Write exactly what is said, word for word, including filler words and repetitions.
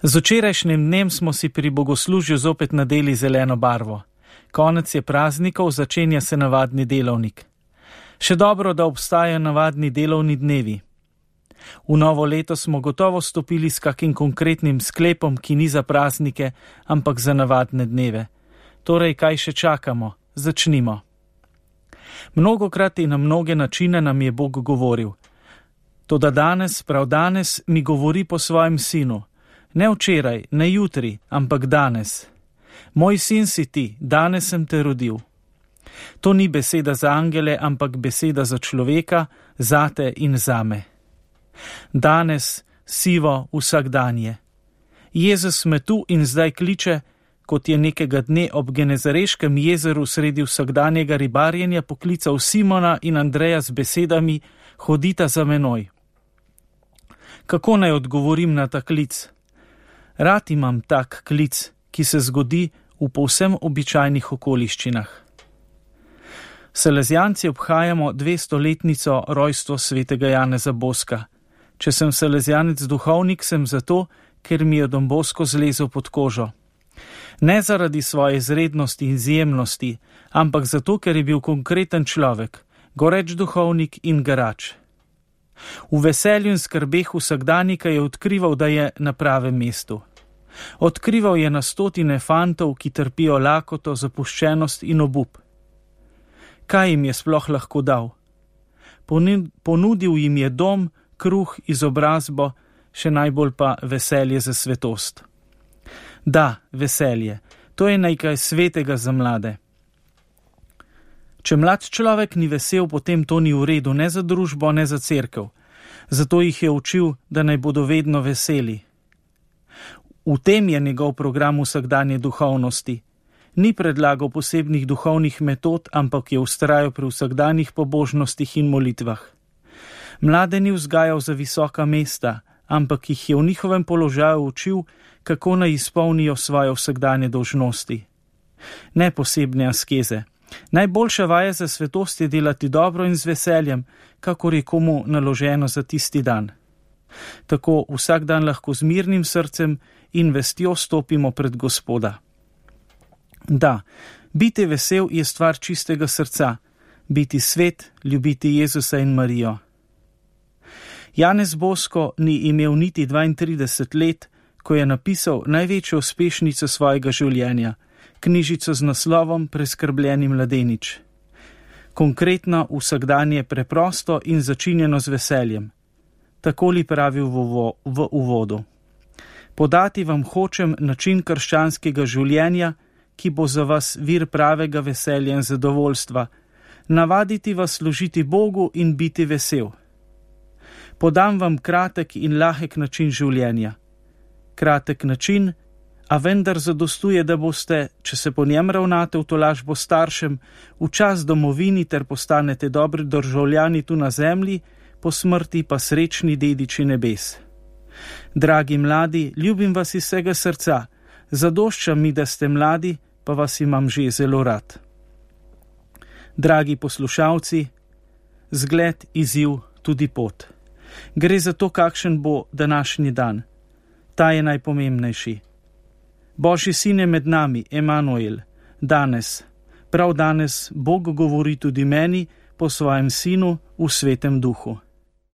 Z včerajšnjim dnem smo si pri bogoslužju zopet nadeli zeleno barvo. Konec je praznikov, začenja se navadni delovnik. Še dobro, da obstajajo navadni delovni dnevi. V novo leto smo gotovo stopili s kakim konkretnim sklepom, ki ni za praznike, ampak za navadne dneve. Torej, kaj še čakamo? Začnimo. Mnogokrat in na mnoge načine nam je Bog govoril. Toda danes, prav danes, mi govori po svojem sinu. Ne včeraj, ne jutri, ampak danes. Moj sin si ti, danes sem te rodil. To ni beseda za angele, ampak beseda za človeka, zate in zame. Danes, sivo, vsakdanje. Jezus me tu in zdaj kliče, kot je nekega dne ob Genezareškem jezeru sredi vsakdanjega ribarjenja poklical Simona in Andreja z besedami: hodita za menoj. Kako naj odgovorim na ta klic? Rad imam tak klic, ki se zgodi v povsem običajnih okoliščinah. Salezijanci obhajamo dvestoletnico rojstva svetega Janeza Boska. Če sem salezijanec duhovnik, sem zato, ker mi je Don Bosko zlezel pod kožo. Ne zaradi svoje izrednosti in izjemnosti, ampak zato, ker je bil konkreten človek, goreč duhovnik in garač. V veselju in skrbeh vsakdanika je odkrival, da je na pravem mestu. Odkrival je na stotine fantov, ki trpijo lakoto, zapuščenost in obup. Kaj jim je sploh lahko dal? Ponudil jim je dom, kruh, izobrazbo, še najbolj pa veselje za svetost. Da, veselje, to je nekaj svetega za mlade. Če mlad človek ni vesel, potem to ni v redu, ne za družbo, ne za cerkev. Zato jih je učil, da naj bodo vedno veseli. V tem je njegov program vsakdanje duhovnosti. Ni predlagal posebnih duhovnih metod, ampak je vztrajal pri vsakdanjih pobožnostih in molitvah. Mlade ni vzgajal za visoka mesta, ampak jih je v njihovem položaju učil, kako naj izpolnijo svoje vsakdanje dolžnosti. Ne posebne askeze. Najboljša vaja za svetost je delati dobro in z veseljem, kakor je komu naloženo za tisti dan. Tako vsak dan lahko z mirnim srcem in vestjo stopimo pred Gospoda. Da, biti vesel je stvar čistega srca, biti svet, ljubiti Jezusa in Marijo. Janez Bosko ni imel niti dvaintrideset let, ko je napisal največjo uspešnico svojega življenja, knjižico z naslovom Preskrbljeni mladenič. Konkretno vsakdanje preprosto in začinjeno z veseljem. Takoli pravi v, v uvodu. Podati vam hočem način krščanskega življenja, ki bo za vas vir pravega veselja in zadovoljstva, navaditi vas služiti Bogu in biti vesel. Podam vam kratek in lahek način življenja. Kratek način, a vendar zadostuje, da boste, če se po njem ravnate v tolažbo staršem, v čas domovini ter postanete dobri državljani tu na zemlji, po smrti pa srečni dediči nebes. Dragi mladi, ljubim vas iz vsega srca, zadošča mi, da ste mladi, pa vas imam že zelo rad. Dragi poslušalci, zgled, izziv, tudi pot. Gre za to, kakšen bo današnji dan. Ta je najpomembnejši. Božji sin je med nami, Emanuel. Danes, prav danes, Bog govori tudi meni po svojem sinu v svetem duhu.